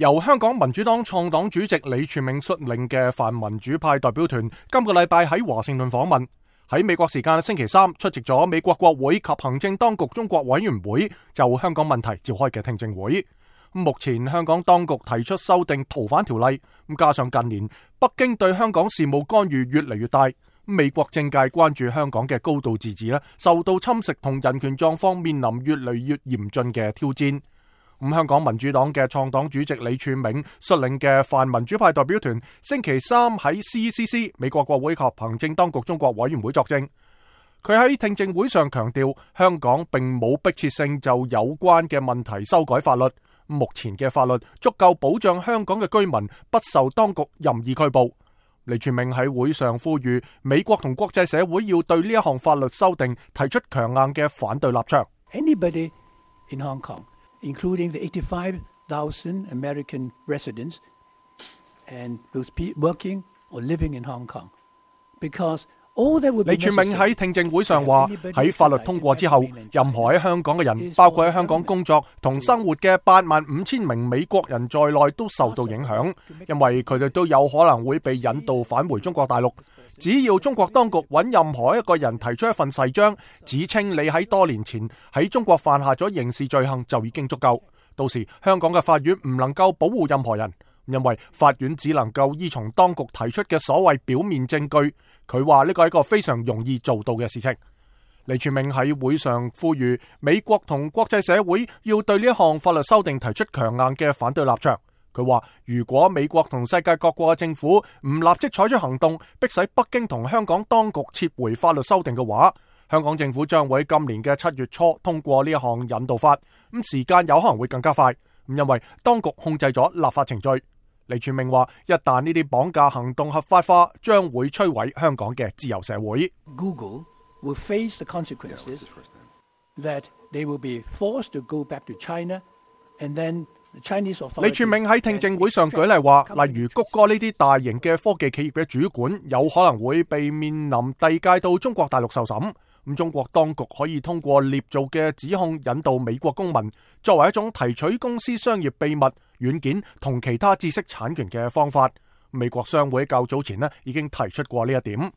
由香港民主黨創黨主席李柱銘率領嘅泛民主派代表團今個禮拜喺華盛頓訪問，喺美國時間星期三出席咗美國國會及行政當局中國委員會就香港問題召開嘅聽證會。目前香港當局提出修訂逃犯條例，加上近年北京對香港事務干預越嚟越大，美國政界關注香港嘅高度自治受到侵蝕同人權狀況面臨越嚟越嚴峻嘅挑戰。香港民主黨嘅創黨主席李柱銘率領嘅泛民主派代表團星期三喺 CCC 美國國會及行政當局中國委員會作證。佢喺聽證會上強調，香港並冇迫切性就有關嘅問題修改法律，目前嘅法律足夠保障香港嘅居民不受當局任意拘捕。李柱銘喺會上呼籲美國同國際社會要對呢一項法律修訂提出強硬嘅反對立場。Anybody in Hong Kong,including the 85,000 American residents and those working or living in Hong Kong. Because all that would be necessary. 李柱銘喺聽證會上話，喺法律通過之後，任何喺香港嘅人，包括喺香港工作同生活嘅85,000名美國人在內都受到影響，因為佢哋都有可能會被引渡返回中國大陸。只要中國當局揾任何一個人提出一份誓章，指稱你喺多年前喺中國犯下咗刑事罪行，就已經足夠。到時香港嘅法院唔能夠保護任何人，因為法院只能夠依從當局提出嘅所謂表面證據。佢話呢個係一個非常容易做到嘅事情。李柱銘喺會上呼籲美國同國際社會要對呢一項法律修訂提出強硬嘅反對立場。佢話如果美國同世界各國嘅政府唔立即採取行動，迫使北京同香港當局撤回法律修訂嘅話，香港政府將會喺今年嘅7月初通過呢一項引渡法，時間有可能會更加快，因為當局控制咗立法程序。李柱銘話，一旦呢啲綁架行動合法化，將會摧毀香港嘅自由社會。Google will face the consequences that they will be forced to go back to China, and then李柱銘喺聽證會上舉例話，例如谷歌呢啲大型嘅科技企業嘅主管有可能會被面臨遞解到中國大陸受審，中國當局可以通過捏造嘅指控引渡美國公民，作為一種提取公司商業秘密、軟件同其他知識產權嘅方法。美國商會較早前已經提出過呢一點。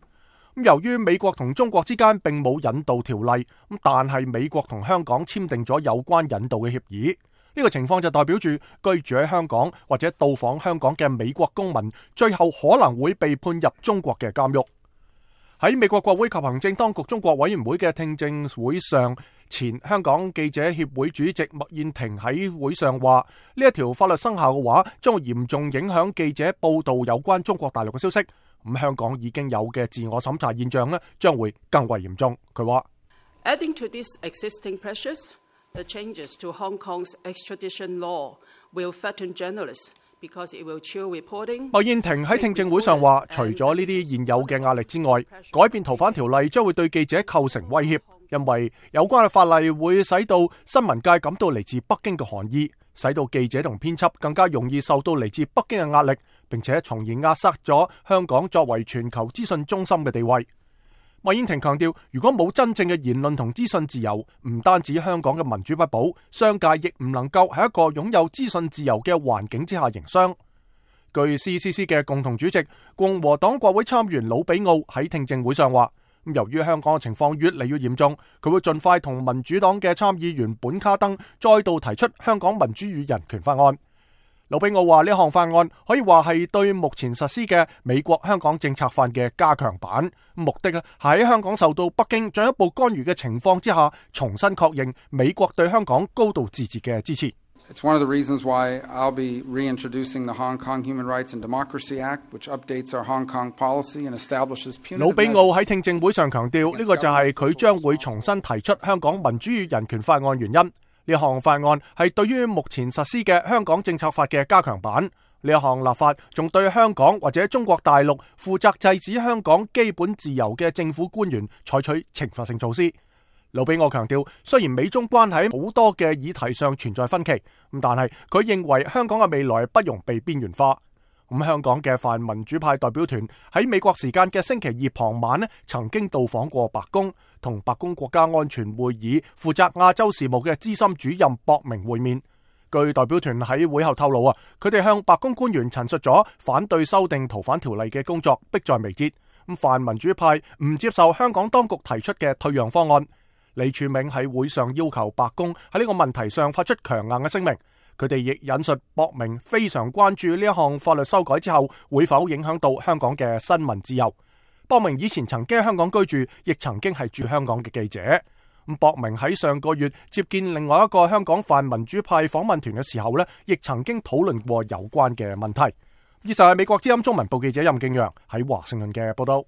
由於美國同中國之間並冇引渡條例，但係美國同香港簽訂咗有關引渡嘅協議。呢個情況就代表住居住喺香港或者到訪香港嘅美國公民，最後可能會被判入中國嘅監獄。喺美國國會及行政當局中國委員會嘅聽證會上，前香港記者協會主席麥燕庭喺會上話，呢一條法律生效嘅話，將會嚴重影響記者報道有關中國大陸嘅消息。香港已經有嘅自我審查現象將會更為嚴重。佢話 Adding to this existing pressures,The changes to Hong Kong's extradition law will threaten journalists because it will chill reporting. 麥燕庭喺聽證會上話，除咗呢啲現有嘅壓力之外，改變逃犯條例將會對記者構成威脅，因為有關嘅法例會使到新聞界感到嚟自北京嘅寒意，使到記者同編輯更加容易受到嚟自北京嘅壓力，並且從而壓塞咗香港作為全球資訊中心嘅地位。麥燕庭強調，如果冇真正嘅言論同資訊自由，唔單止香港嘅民主不保，商界亦唔能夠喺一個擁有資訊自由嘅環境之下營商。據 CCC 嘅共同主席共和黨國會參議員魯比奧喺聽證會上話，由於香港嘅情況越嚟越嚴重，佢會盡快同民主黨嘅參議員本卡登再度提出香港民主與人權法案。魯比奧話呢項法案可以話係對目前實施嘅美國香港政策法嘅加強版，目的係喺香港受到北京進一步干預嘅情況之下，重新確認美國對香港高度自治嘅支持。It's one of the reasons why I'll be reintroducing the Hong Kong Human Rights and Democracy Act, which updates our Hong Kong policy and establishes punitive measures. 魯比奧喺聽證會上強調，呢個就係佢將會重新提出香港民主與人權法案原因。呢項法案係對於目前實施嘅香港政策法嘅加強版。呢一項立法仲對香港或者中國大陸負責制止香港基本自由嘅政府官員採取懲罰性措施。魯比奧強調，雖然美中關係好多嘅議題上存在分歧，但係佢認為香港嘅未來不容被邊緣化。香港嘅泛民主派代表團喺美國時間嘅星期二傍晚曾經到訪過白宮，同白宮國家安全會議負責亞洲事務嘅資深主任博明會面。據代表團喺會後透露啊，佢哋向白宮官員陳述咗反對修訂逃犯條例嘅工作迫在眉睫。泛民主派唔接受香港當局提出嘅退讓方案。李柱銘喺會上要求白宮喺呢個問題上發出強硬嘅聲明。佢哋亦引述博明非常關注呢一項法律修改之後會否影響到香港嘅新聞自由。博明以前曾經喺香港居住，亦曾經係駐香港嘅記者。博明喺上個月接見另外一個香港泛民主派訪問團嘅時候呢，亦曾經討論過有關嘅問題。以上係美國之音中文部記者任敬陽喺華盛頓嘅報道。